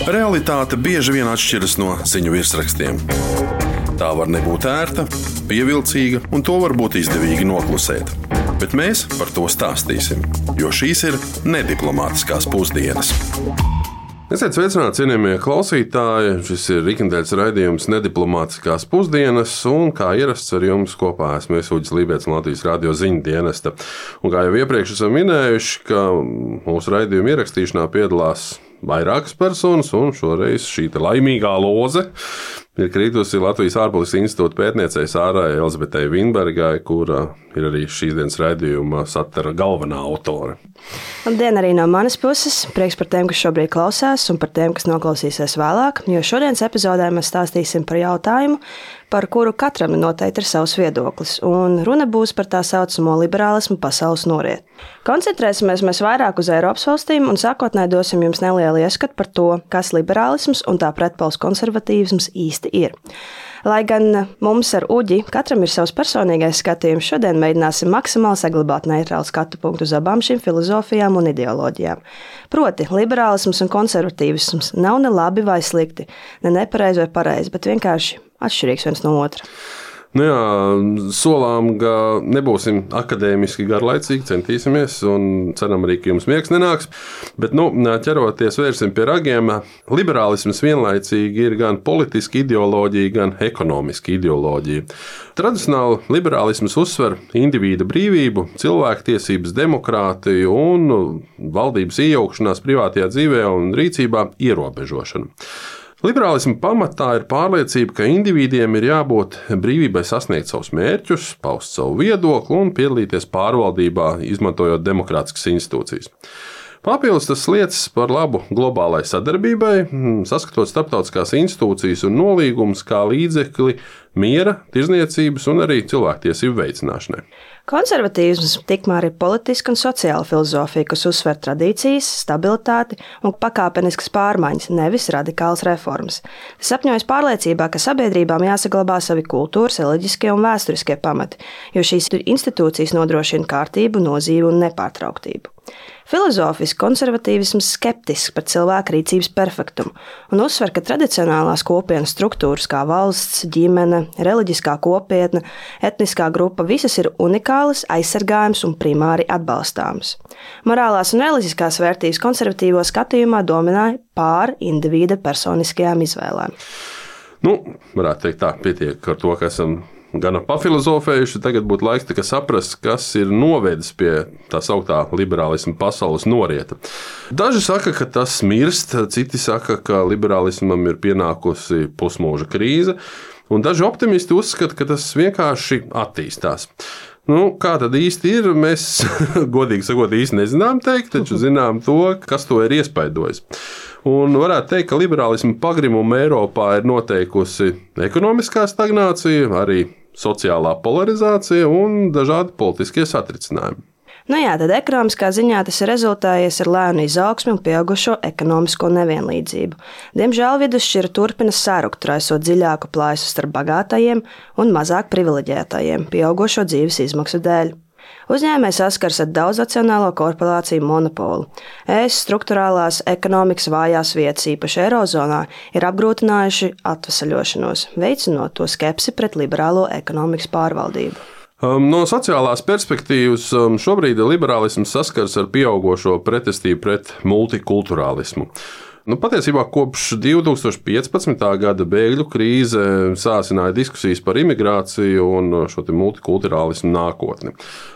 Realitāte bieži vien atšķiras no ziņu virsrakstiem. Tā var nebūt ērta, pievilcīga, un to var būt izdevīgi noklusēt. Bet mēs par to stāstīsim, jo šīs ir nediplomātiskās pusdienas. Esiet sveicināti, cienījamie klausītāji. Šis ir ikdienas raidījums Nediplomātiskās pusdienas, un kā ierasts ar jums kopā esmu Uģis Lībijams no Latvijas radio ziņu dienesta. Un kā jau iepriekš esam minējuši, ka mūsu raidījuma ierakstīšanā piedalās vairākas personas, un šoreiz šī laimīgā loze ir kritusi Latvijas ārpolitikas institūta pētniecei Sārai Elizabetei Vinbergai, kura ir arī šīs dienas raidījuma satura galvenā autore. Labdien arī no manas puses. Prieks par tiem, kas šobrīd klausās, un par tiem, kas noklausīsies vēlāk, jo šodienas epizodē mēs stāstīsim par jautājumu, par kuru katram noteikti ir savs viedoklis, un runa būs par tā saucamo liberālismu pasaules noriet. Koncentrēsimies mēs vairāk uz Eiropas valstīm, un sākotnēji dosim jums nelielu ieskatu par to, kas liberālisms un tā pretpols konservatīvisms īsti ir. Lai gan mums ar Uģi katram ir savs personīgais skatījums, šodien mēģināsim maksimāli saglabāt neitrālu skatu punktu uz abām šīm filozofijām un ideoloģijām. Proti, liberālisms un konservatīvisms nav ne labi vai slikti, ne nepareizi vai pareizi, bet vienkārši atšķirīgs viens no otra. Nu jā, solām, ka nebūsim akadēmiski garlaicīgi, centīsimies un ceram arī, ka jums miegs nenāks. Bet, ķeroties vērsim pie ragiem, liberālisms vienlaicīgi ir gan politiska ideoloģija, gan ekonomiska ideoloģija. Tradicionāli liberālisms uzsver indivīda brīvību, cilvēktiesības, demokrātiju un valdības iejaukšanās privātajā dzīvē un rīcībā ierobežošanu. Liberālisma pamatā ir pārliecība, ka indivīdiem ir jābūt brīvībai sasniegt savus mērķus, paust savu viedokli un piedalīties pārvaldībā, izmantojot demokrātiskas institūcijas. Papildus tas liecas par labu globālai sadarbībai, saskatot starptautiskās institūcijas un nolīgumus kā līdzekli miera, tirdzniecības un arī cilvēktiesību veicināšanai. Konservatīvisms tikmēr ir politiska un sociāla filozofija, kas uzsver tradīcijas, stabilitāti un pakāpeniskas pārmaiņas, nevis radikālas reformas. Tas sapņojas pārliecībā, ka sabiedrībām jāsaglabā savi kultūras, reliģiskie un vēsturiskie pamati, jo šīs institūcijas nodrošina kārtību, nozīmi un nepārtrauktību. Filozofiski konservatīvisms skeptisks par cilvēka rīcības perfektumu un uzsver, ka tradicionālās kopienas struktūras kā valsts, ģimene, reliģiskā kopiena, etniskā grupa visas ir unikālas, aizsargājamas un primāri atbalstāmas. Morālās un reliģiskās vērtības konservatīvo skatījumā dominēja pār indivīda personiskajām izvēlēm. Varētu teikt tā, pietiek ar to, ka esam gan pafilozofējuši, tagad būtu laiks tikai saprast, kas ir novedis pie tā sauktā liberālisma pasaules norieta. Daži saka, ka tas mirst, citi saka, ka liberālismam ir pienākusi pusmūža krīze, un daži optimisti uzskata, ka tas vienkārši attīstās. Kā tad īsti ir, mēs godīgi sakot īsti nezinām teikt, taču zinām to, kas to ir iespaidojis. Un varētu teikt, ka liberālisma pagrimumu Eiropā ir noteikusi ekonomiskā stagnācija, arī sociālā polarizācija un dažādi politiskie satricinājumi. Tad ekonomiskā ziņā tas ir rezultējies ar lēnu izaugsmi un pieaugušo ekonomisko nevienlīdzību. Diemžēl vidusšķira turpina sarukt, raisot dziļāku plaisu starp bagātajiem un mazāk privileģētajiem pieaugušo dzīves izmaksu dēļ. Uzņēmēji saskars ar daudznacionālo korporāciju monopolu. Struktūrālās ekonomikas vājās vietas, īpaši Eirozonā, ir apgrūtinājuši atvesaļošanos, veicinot to skepsi pret liberālo ekonomikas pārvaldību. No sociālās perspektīvas šobrīd liberālisms saskars ar pieaugošo pretestību pret multikulturālismu. Patiesībā kopš 2015. gada bēgļu krīze sāsināja diskusijas par imigrāciju un šo multikulturālismu nākotni.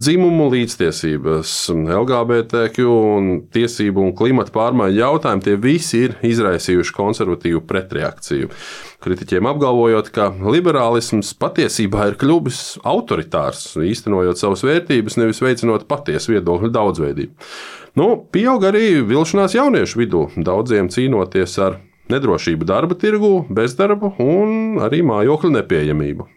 Dzimumu līdztiesības, LGBTQ un tiesību un klimata pārmaiņu jautājumi tie visi ir izraisījuši konservatīvu pretreakciju. Kritiķiem apgalvojot, ka liberālisms patiesībā ir kļuvis autoritārs, īstenojot savas vērtības, nevis veicinot patiesu viedokļu daudzveidību. Pieaug arī vilšanās jauniešu vidū, daudziem cīnoties ar nedrošību darba tirgū, bezdarbu un arī mājokļu nepieejamību.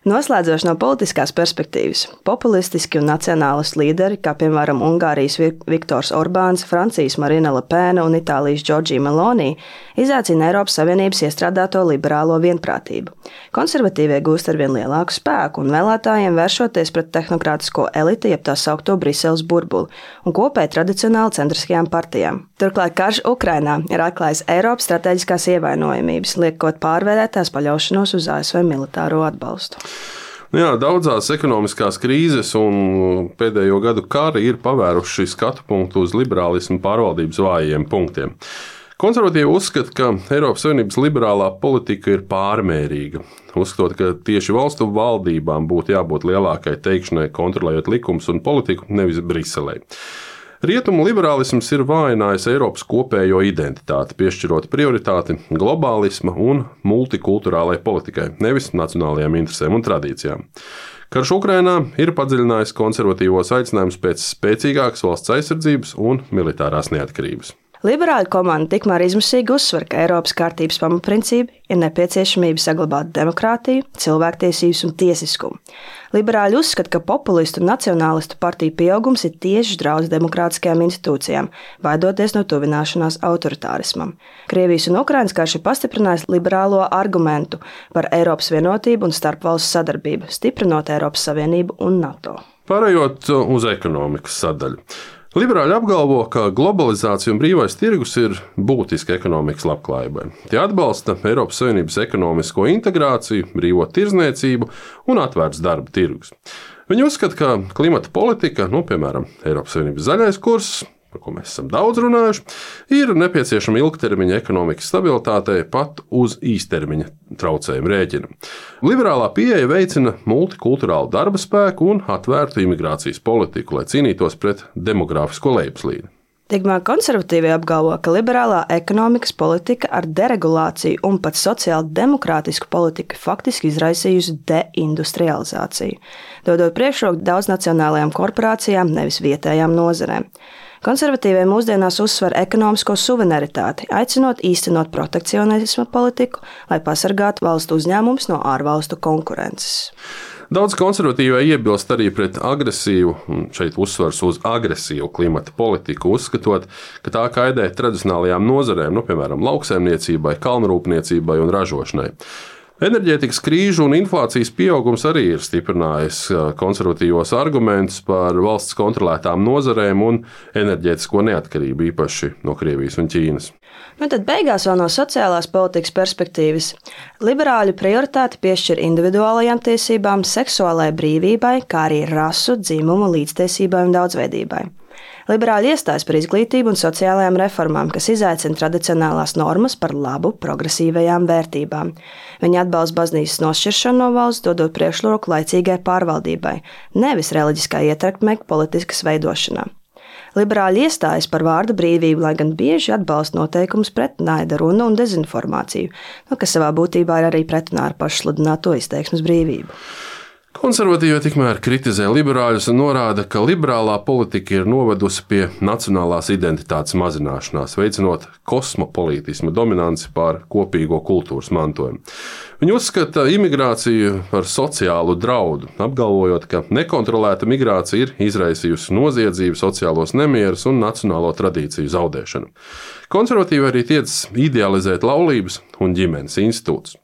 Noslēdzoši no politiskās perspektīvas, populistiski un nacionālisti līderi, kā piemēram Ungārijas Viktors Orbāns, Francijas Marine Le Pen un Itālijas Giorgia Meloni, izaicina Eiropas Savienības iestrādāto liberālo vienprātību. Konservatīvie gūst arvien lielāku spēku un vēlētājiem vēršoties pret tehnokrātisko eliti, jeb tā saukto Briseles burbuli, un kopēji tradicionāli centriskajām partijām. Turklāt karš Ukrainā ir atklājis Eiropas strateģiskās ievainojamības, liekot pārvērtēt tās paļaušanos uz ASV militāro atbalstu. Jā, daudzās ekonomiskās krīzes un pēdējo gadu kari ir pavēruši skatu punktu uz liberālismu pārvaldības vājiem punktiem. Konservatīvi uzskata, ka Eiropas Savienības liberālā politika ir pārmērīga, uzskatot, ka tieši valstu valdībām būtu jābūt lielākai teikšanai, kontrolējot likumus un politiku, nevis Briselei. Rietumu liberālisms ir vājinājis Eiropas kopējo identitāti, piešķirot prioritāti globālisma un multikulturālai politikai, nevis nacionālajām interesēm un tradīcijām. Karš Ukrainā ir padziļinājis konservatīvos aicinājumus pēc spēcīgākas valsts aizsardzības un militārās neatkarības. Liberāļu komanda tikmēr izmisīgi uzsver, ka Eiropas kārtības pamatprincipi ir nepieciešamība saglabāt demokrātiju, cilvēktiesības un tiesiskumu. Liberāļi uzskata, ka populistu un nacionālistu partiju pieaugums ir tieši draudz demokrātiskajām institūcijām, baidoties no tuvināšanās autoritārismam. Krievijas un Ukrainas karš ir pastiprinājis liberālo argumentu par Eiropas vienotību un starpvalstu sadarbību, stiprinot Eiropas Savienību un NATO. Pārējot uz ekonomikas sadaļu. Liberāļi apgalvo, ka globalizācija un brīvais tirgus ir būtiski ekonomikas labklājībai. Tie atbalsta Eiropas Savienības ekonomisko integrāciju, brīvo tirdzniecību un atvērts darba tirgus. Viņi uzskata, ka klimata politika, piemēram, Eiropas Savienības zaļais kurs, par ko mēs esam daudz runājuši, ir nepieciešama ilgtermiņa ekonomikas stabilitātei pat uz īstermiņa traucējumu rēķina. Liberālā pieeja veicina multikulturālu darba spēku un atvērtu imigrācijas politiku, lai cīnītos pret demogrāfisko lejupslīdi. Tikmēr konservatīvie apgalvo, ka liberālā ekonomikas politika ar deregulāciju un pat sociāli demokrātisku politiku faktiski izraisījusi deindustrializāciju, dodot priekšroku daudznacionālajām korporācijām, nevis vietējām nozarēm. Konservatīvie mūsdienās uzsver ekonomisko suverenitāti, aicinot īstenot protekcionisma politiku, lai pasargātu valstu uzņēmumus no ārvalstu konkurences. Daudz konservatīvie iebilst arī pret agresīvu, un šeit uzsvars uz agresīvu klimata politiku, uzskatot, ka tā kaitē tradicionālajām nozarēm, piemēram, lauksaimniecībai, kalnrūpniecībai un ražošanai. Enerģētikas krīžu un inflācijas pieaugums arī ir stiprinājis konservatīvos argumentus par valsts kontrolētām nozarēm un enerģētisko neatkarību, īpaši no Krievijas un Ķīnas. Tad beigās vēl no sociālās politikas perspektīvas. Liberāļu prioritāti piešķir individuālajām tiesībām, seksuālajai brīvībai, kā arī rasu, dzimumu, līdztiesībai un daudzveidībai. Liberāļi iestājas par izglītību un sociālajām reformām, kas izaicina tradicionālās normas par labu progresīvajām vērtībām. Viņi atbalsta baznīcas nošķiršanu no valsts, dodot priekšroku laicīgai pārvaldībai, nevis reliģiskai ietekmei politiskas veidošanā. Liberāļi iestājas par vārda brīvību, lai gan bieži atbalsta noteikumus pret naida runu un dezinformāciju, kas savā būtībā ir arī pretrunā ar pašsludināto izteiksmes brīvību. Konservatīvie tikmēr kritizē liberāļus un norāda, ka liberālā politika ir novedusi pie nacionālās identitātes mazināšanās, veicinot kosmopolītisma dominanci pār kopīgo kultūras mantojumu. Viņi uzskata imigrāciju par sociālu draudu, apgalvojot, ka nekontrolēta migrācija ir izraisījusi noziedzību, sociālos nemierus un nacionālo tradīciju zaudēšanu. Konservatīvi arī tiec idealizēt laulības un ģimenes institūtus.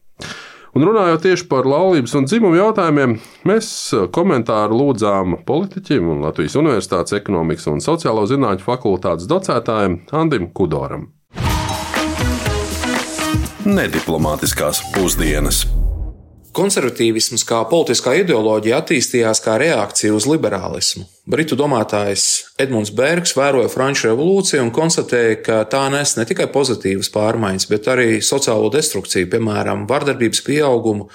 Un runājot tieši par laulības un dzimumu jautājumiem, mēs komentāru lūdzām politiķim un Latvijas Universitātes ekonomikas un sociālo zinātņu fakultātes docētājam Andim Kudoram. Nediplomātiskās pusdienas. Konservatīvisms kā politiskā ideoloģija attīstījās kā reakcija uz liberālismu. Britu domātājs Edmunds Bērgs vēroja Franču revolūciju un konstatēja, ka tā nes ne tikai pozitīvas pārmaiņas, bet arī sociālo destrukciju, piemēram, vardarbības pieaugumu,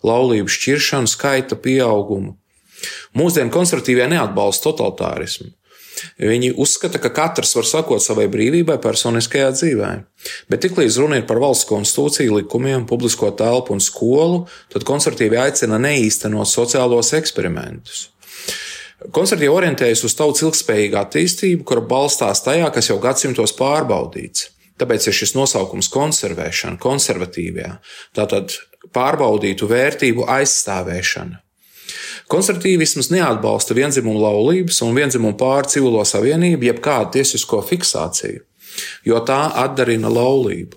laulību šķiršanu, skaita pieaugumu. Mūsdienu konservatīvie neatbalsta totalitārismu. Viņi uzskata, ka katrs var sakot savai brīvībai personiskajā dzīvē. Bet tiklīdz runa ir par valsts konstitūciju, likumiem, publisko telpu un skolu, tad konservatīvi aicina neīstenot sociālos eksperimentus. Konservatīvi orientējas uz tautas ilgspējīgu attīstību, kura balstās tajā, kas jau gadsimtos pārbaudīts. Tāpēc ir šis nosaukums konservēšana, konservatīvajā, tātad pārbaudītu vērtību aizstāvēšana. Konservatīvisms neatbalsta viendzimumu laulības un viendzimumu pāru civilo savienību, jeb kādu tiesisko fiksāciju, jo tā atdarina laulību.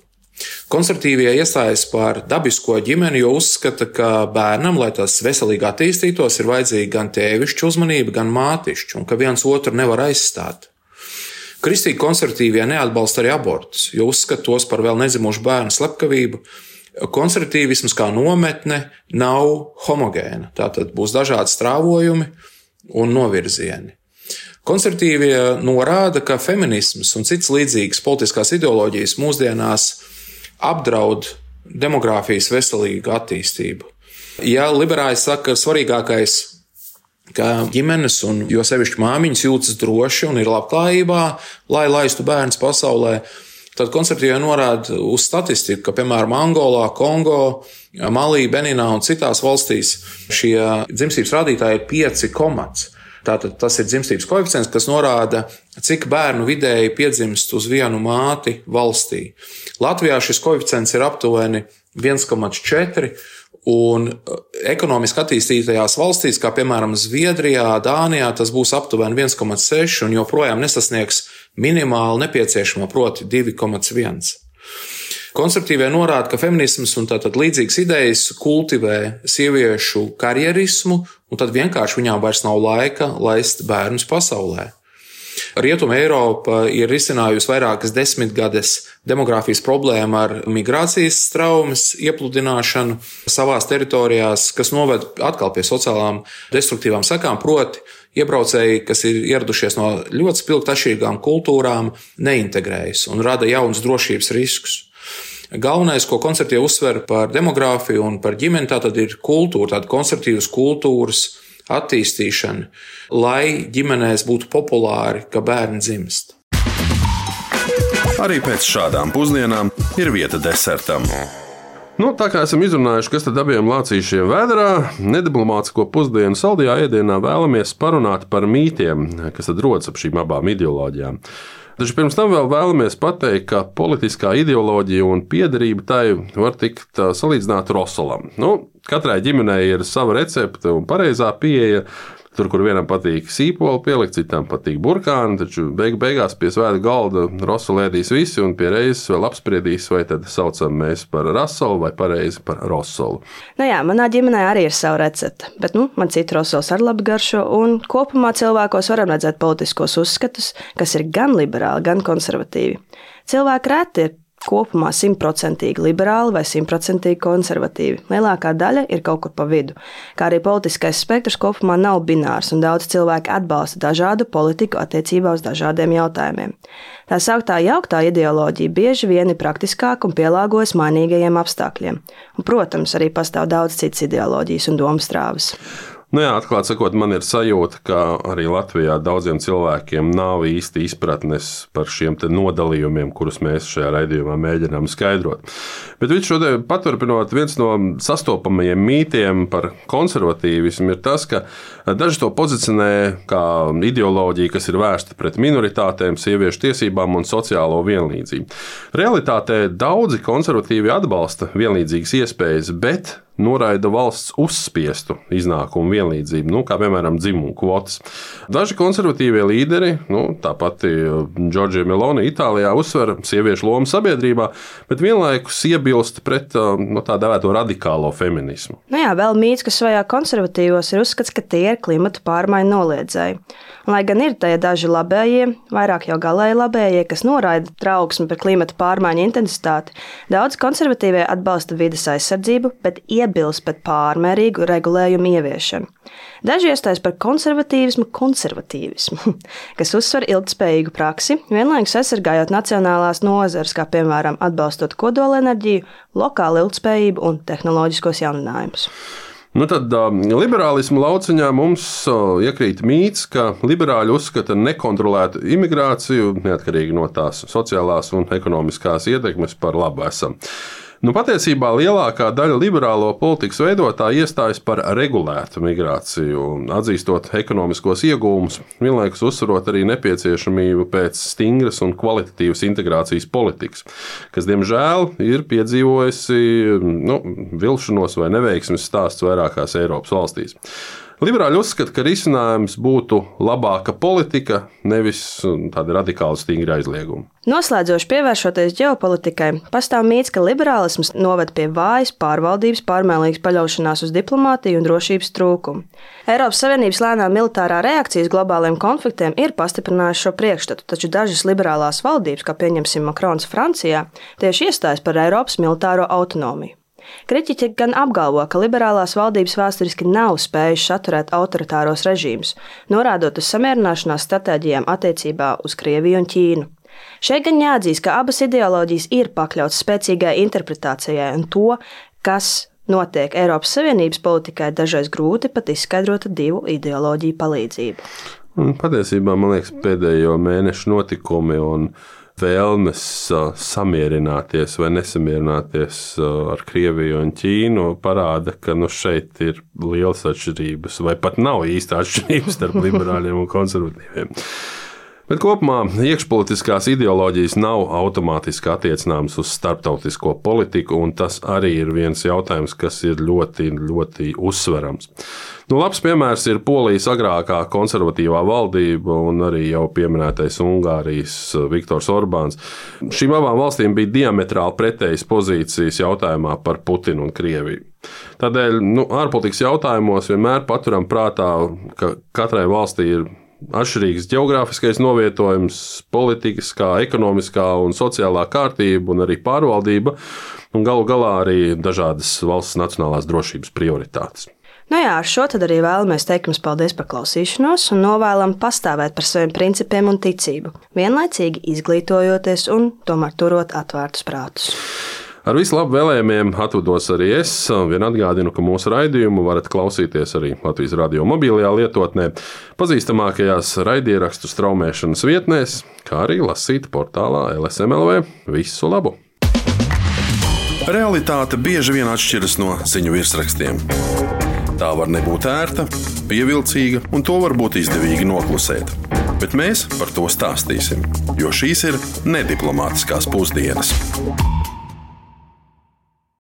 Konservatīvie iestājas par dabisko ģimeni, jo uzskata, ka bērnam, lai tas veselīgi attīstītos, ir vajadzīga gan tēvišķa uzmanība, gan mātišķa, un ka viens otru nevar aizstāt. Kristīgi konservatīvie neatbalsta arī abortus, jo uzskata tos par vēl nedzimušu bērnu slepkavību. Konservatīvisms kā nometne nav homogēna, tātad būs dažādi strāvojumi un novirzieni. Konservatīvie norāda, ka feminisms un citas līdzīgas politiskās ideoloģijas mūsdienās apdraud demogrāfijas veselīgu attīstību. Ja liberāļi saka, ka svarīgākais, ka ģimenes un jo sevišķi māmiņas jūtas droši un ir labklājībā, lai laistu bērnus pasaulē, tad konservatīvie norāda uz statistiku, ka, piemēram, Angolā, Kongo, Malī, Beninā un citās valstīs šie dzimstības rādītāji ir 5. Tātad tas ir dzimstības koeficients, kas norāda, cik bērnu vidēji piedzimst uz vienu māti valstī. Latvijā šis koeficients ir aptuveni 1,4, un ekonomiski attīstītajās valstīs, kā piemēram Zviedrijā, Dānijā, tas būs aptuveni 1,6 un joprojām nesasniegs minimāli nepieciešamo, proti 2,1. Konservatīvie norāda, ka feminisms un tātad līdzīgas idejas kultivē sieviešu karjerismu, un tad vienkārši viņām vairs nav laika laist bērnus pasaulē. Rietuma Eiropa ir risinājusi vairākas desmitgades demogrāfijas problēmu ar migrācijas traumas iepludināšanu savās teritorijās, kas noved atkal pie sociālām destruktīvām sekām, proti iebraucēji, kas ir ieradušies no ļoti spilgti atšķirīgām kultūrām, neintegrējas un rada jaunus drošības riskus. Galvenais, ko konservatīvi uzsver par demogrāfiju un par ģimeni, tātad ir kultūra, tāda konservatīvas kultūras attīstīšana, lai ģimenēs būtu populāri, ka bērni dzimst. Arī pēc šādām pusdienām ir vieta desertam. Tā kā esam izrunājuši, kas tad abiem lācīšiem vēderā, nediplomātisko pusdienu saldajā ēdienā vēlamies parunāt par mītiem, kas tad rodas ap šīm abām ideoloģijām. Taču pirms tam vēl vēlamies pateikt, ka politiskā ideoloģija un piederība tai var tikt salīdzināta rosolam. Katrai ģimenei ir sava recepte un pareizā pieeja. Tur, kur vienam patīk sīpoli pielikt, citam patīk burkāni, taču beigās pie svēta galda rosolu ēdīs visi un pie reizes vēl apspriedīs, vai tad saucam mēs par rasolu vai pareizi par rosolu. Manā ģimenē arī ir sava recepte, bet man citi rosols ar labu garšo, un kopumā cilvēkos varam redzēt politiskos uzskatus, kas ir gan liberāli, gan konservatīvi. Cilvēki reti ir kopumā 100% liberāli vai 100% konservatīvi. Lielākā daļa ir kaut kur pa vidu, kā arī politiskais spektrs kopumā nav binārs, un daudz cilvēki atbalsta dažādu politiku attiecībā uz dažādiem jautājumiem. Tā sauktā jauktā ideoloģija bieži vien ir praktiskāka un pielāgojas mainīgajiem apstākļiem. Un, protams, arī pastāv daudz citas ideoloģijas un domstrāvas. Atklāt sakot, man ir sajūta, ka arī Latvijā daudziem cilvēkiem nav īsti izpratnes par šiem nodalījumiem, kurus mēs šajā raidījumā mēģinām skaidrot. Bet visu šo paturpinot, viens no sastopamajiem mītiem par konservatīvismu ir tas, ka daži to pozicionē kā ideoloģiju, kas ir vērsta pret minoritātēm, sieviešu tiesībām un sociālo vienlīdzību. Realitātē daudzi konservatīvi atbalsta vienlīdzīgas iespējas, bet noraida valsts uzspiestu iznākumu vienlīdzību, kā piemēram dzimumu kvotas. Daži konservatīvie līderi, tāpat Giorgia Meloni Itālijā, uzsver sieviešu lomu sabiedrībā, bet vienlaikus iebilst pret tā dēvēto radikālo feminismu. Vēl mīts, kas svajā konservatīvos, ir uzskats, ka tie ir klimata pārmaiņu noliedzēji. Lai gan ir tie daži labējie, vairāk jau galēji labējie, kas noraida trauksmi par klimata pārmaiņu intensitāti, daudz konservatīvie atbalsta vides aizsardzību, bet iebilst pret pārmērīgu regulējumu ieviešanu. Daži iestājas par konservatīvismu, kas uzsver ilgtspējīgu praksi, vienlaikus aizsargājot nacionālās nozares, kā piemēram atbalstot kodolenerģiju, lokālu ilgtspējību un tehnoloģiskos jauninājumus. Tad liberālisma lauciņā mums iekrīt mīts, ka liberāļi uzskata nekontrolētu imigrāciju, neatkarīgi no tās sociālās un ekonomiskās ietekmes, par labu esam. Patiesībā lielākā daļa liberālo politikas veidotāju iestājas par regulētu migrāciju, atzīstot ekonomiskos iegūmus, vienlaikus uzsverot arī nepieciešamību pēc stingras un kvalitatīvas integrācijas politikas, kas, diemžēl, ir piedzīvojusi vilšanos vai neveiksmes stāsts vairākās Eiropas valstīs. Liberāļi uzskata, ka risinājums būtu labāka politika, nevis tādi radikāli stingri aizliegumi. Noslēdzoši pievēršoties ģeopolitikai, pastāv mīts, ka liberālisms noved pie vājas pārvaldības, pārmērīgas paļaušanās uz diplomātiju un drošības trūkumu. Eiropas Savienības lēnā militārā reakcija uz globāliem konfliktiem ir pastiprinājusi šo priekšstatu, taču dažas liberālās valdības, kā pieņemsim Makrons Francijā, tieši iestājas par Eiropas militāro autonomiju. Kritiķi gan apgalvo, ka liberālās valdības vēsturiski nav spējušas atturēt autoritāros režīmus, norādot uz samierināšanās stratēģijām attiecībā uz Krieviju un Ķīnu. Šeit gan jāatzīst, ka abas ideoloģijas ir pakļautas spēcīgai interpretācijai, un to, kas notiek Eiropas Savienības politikai, dažreiz grūti pat izskaidrot ar divu ideoloģiju palīdzību. Patiesībā, man liekas, pēdējo mēnešu notikumi un vēlmes samierināties vai nesamierināties ar Krieviju un Ķīnu parāda, ka šeit ir lielas atšķirības, vai pat nav īsta atšķirības starp liberāļiem un konservatīviem. Bet kopumā iekšpolitiskās ideoloģijas nav automātiski attiecināmas uz starptautisko politiku, un tas arī ir viens jautājums, kas ir ļoti, ļoti uzsverams. Labs piemērs ir Polijas agrākā konservatīvā valdība un arī jau pieminētais Ungārijas Viktors Orbāns. Šīm abām valstīm bija diametrāli pretējas pozīcijas jautājumā par Putinu un Krieviju. Tādēļ ārpolitikas jautājumos vienmēr paturam prātā, ka katrai valstī ir atšķirīgs geogrāfiskais novietojums, politiskā, ekonomiskā un sociālā kārtība un arī pārvaldība, un galu galā arī dažādas valsts nacionālās drošības prioritātes. Ar šo tad arī vēlamies teikt jums paldies par klausīšanos un novēlam pastāvēt par saviem principiem un ticību, vienlaicīgi izglītojoties un tomēr turot atvērtus prātus. Ar visu labu vēlējumiem atvados arī es. Vien atgādinu, ka mūsu raidījumu varat klausīties arī Latvijas radio mobilajā lietotnē, pazīstamākajās raidierakstu straumēšanas vietnēs, kā arī lasīt portālā LSM.lv. Visu labu! Realitāte bieži vien atšķiras no ziņu virsrakstiem. Tā var nebūt ērta, pievilcīga, un to var būt izdevīgi noklusēt. Bet mēs par to stāstīsim, jo šīs ir nediplomātiskās pusdienas.